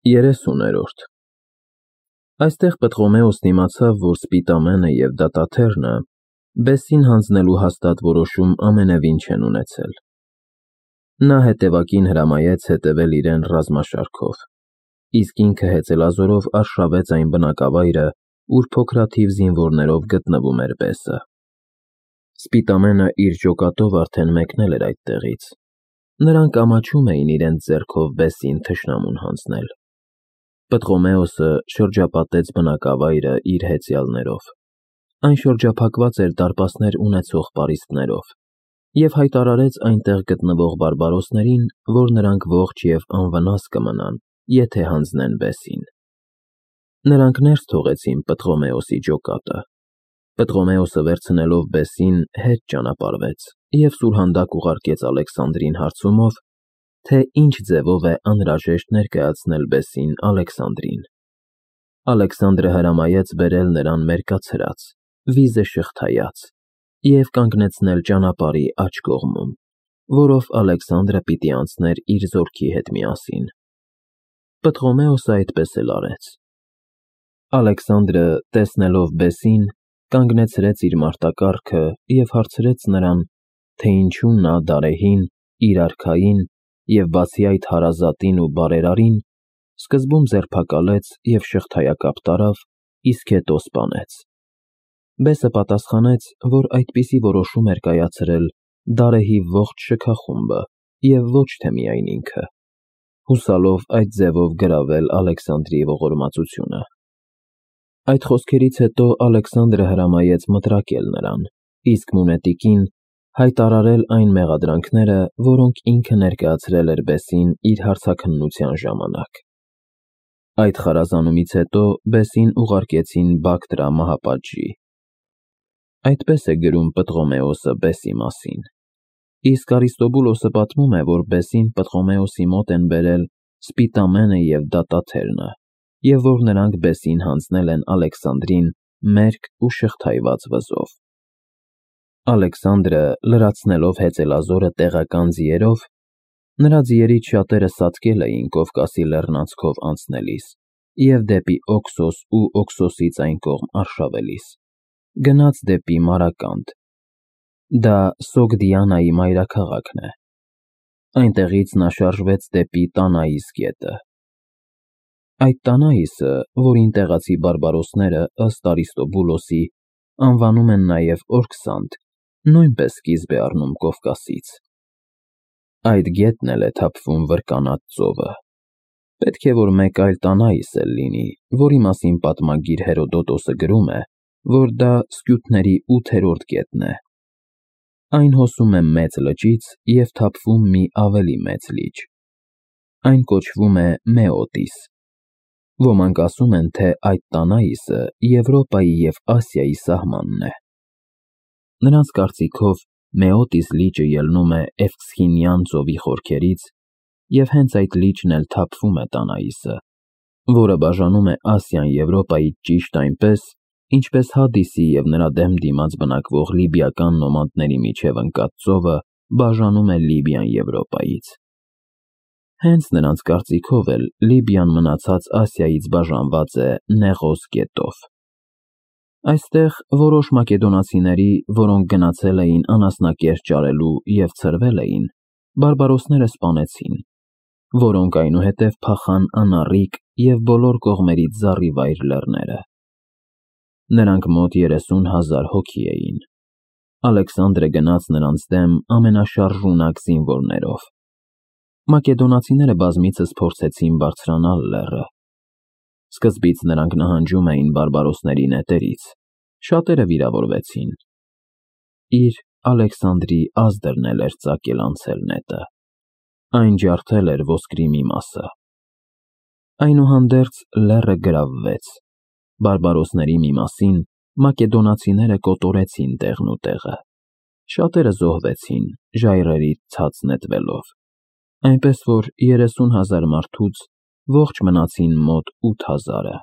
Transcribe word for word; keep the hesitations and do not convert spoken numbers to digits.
Երեսուներորդ Այստեղ Պտղոմեոսն իմացավ, որ Սպիտամենը և դատաթեռնը բեսին հանձնելու հաստատ որոշում ամենևին չեն ունեցել. նա հետևակին հրամայեց հետևել իրեն ռազմաշարքով, իսկ ինքը հեծելազորով արշավեց այն բնակավայրը, ուր փոքրաթիվ զինվորներով գտնվում էր բեսը։ Սպիտամենը իր ջոկատով արդեն մեկնել էր այդտեղից, նրանք ամաչում էին իրենց ձեռքով բեսին թշնամուն հանձնել։ Պտղոմեոսը շրջապատեց բնակավայրը իր հեծյալներով, այն շրջափակված էր դարպասներ ունեցող պարիսպներով, և հայտարարեց այնտեղ գտնվող բարբարոսներին, որ նրանք ողջ և անվնաս կմնան, եթե հանձնեն բեսին։ Նրանք ներս թողեցին Պտղոմեոսի ջոկատը։ Պտղոմեոսը վերցնելով բեսին հետ ճանապարհվեց և սուրհանդակ ուղարկեց Ալեքսանդրին հարցումով, թե ինչ ձևով է անհրաժեշտ ներկայացնել բեսին Ալեքսանդրին։ Ալեքսանդրը հրամայեց բերել նրան մերկացրած, վիզը շղթայած և կանգնեցնել ճանապարհի աջ կողմում, որով Ալեքսանդրը պիտի անցներ իր զորքի հետ միասին։ Պտղոմեոսը այդպես էլ արեց։ Ալեքսանդրը, տեսնելով բեսին, կանգնեցրեց իր մարտակառքը և հարցրեց նրան, թե ինչու նա Դարեհին, իր արքային և բացի այդ հարազատին ու բարերարին սկզբում ձերբակալեց և շղթայակապ տարավ, իսկ հետո սպանեց։ Բեսը պատասխանեց, որ այդպիսի որոշում էր կայացրել Դարեհի ողջ շքախումբը և ոչ թե միայն ինքը, հուսալով այդ ձևով գրավել Ալեքսանդրի ողորմածությունը։ Այդ խոսքերից հետո Ալեքսանդրը հրամայեց մտրակել նրան, իսկ մունետիկին հայտարարել այն մեղադրանքները, որոնք ինքը ներկայացրել էր բեսին իր հարցաքննության ժամանակ։ Այդ խարազանումից հետո բեսին ուղարկեցին Բակտրա մահապատժի։ Այդպես է գրում Պտղոմեոսը բեսի մասին, իսկ Արիստոբուլոսը պատմում է, որ բեսին Պտղոմեոսի մոտ են բերել Սպիտամենը և դատաթեռնը, և որ նրանք բեսին հանձնել են Ալեքսանդրին մերկ ու շղթայված վզով։ Ալեքսանդրը, լրացնելով հեծելազորը տեղական ձիերով, նրա ձիերից շատերը սատկել էին Կովկասի լեռնանցքով անցնելիս և դեպի Օքսոս ու Օքսոսից այն կողմ արշավելիս, գնաց դեպի Մարականդ, դա Սոգդիանայի մայրաքաղաքն է։ Այնտեղից նա շարժվեց դեպի Տանայիս գետը։ Այդ Տանայիսը, որին տեղացի բարբարոսները, ըստ Արիստոբուլոսի, անվանում են նաև Օրքսանդ, նույնպես սկիզբ է առնում Կովկասից։ Այդ գետն էլ է թափվում Վրկանաց ծովը։ Պետք է որ մեկ այլ Տանայիս էլ լինի, որի մասին պատմագիր Հերոդոտոսը գրում է, որ դա Սկյութների ութերորդ գետն է։ Այն հոսում է Մեծ լճից և թափվում մի ավելի մեծ լիճ։ Այն կոչվում է Մեոտիս։ Ոմանք ասում են, թե այդ Տանայիսը Եվրոպայի և Ասիայի սահմանն է։ Նրանց կարծիքով Մեոտիս լիճը ելնում է Էվքսինյան ծովի խորքերից, և հենց այդ լիճն էլ թափվում է Տանայիսը, որը բաժանում է Ասիան Եվրոպայից ճիշտ այնպես, ինչպես Հադիսի և նրա դեմ դիմաց բնակվող լիբիական նոմանդների միջև ընկած ծովը բաժանում է Լիբիան Եվրոպայից։ Հենց նրանց կարծիքով էլ Լիբիան մնացած Ասիայից բաժանված է Նեղոս գետով։ Այստեղ որոշ մակեդոնացիների, որոնք գնացել էին անասնակերտ ճարելու և ցրվել էին, բարբարոսները սպանեցին, որոնք այնուհետև փախան Անառիկ և բոլոր կողմերից զառիվայր լեռները։ Նրանք մոտ երեսուն հազար հոգի էին։ Ալեքսանդրը գնաց նրանց դեմ ամենաշարժունակ զինվորներով։ Մակեդոնացիները բազմիցս փորձեցին բարձրանալ լեռը։ Սկզբից նրանք նահանջում էին բարբարոսների նետերից, շատերը վիրավորվեցին։ Իր Ալեքսանդրի ազդրն էլ էր ծակել անցել նետը։ Այն ջարդել էր ոսկրի մի մասը։ Այնուհանդերձ լեռը գրավվեց։ Բարբարոսների մի մասին մակեդոնացիները կոտորեցին տեղն ու տեղը։ Շատերը զոհվեցին, ժայռերից ցած նետվելով, այնպես որ երեսուն հազար մարդուց ողջ մնացին մոտ ութ հազարը։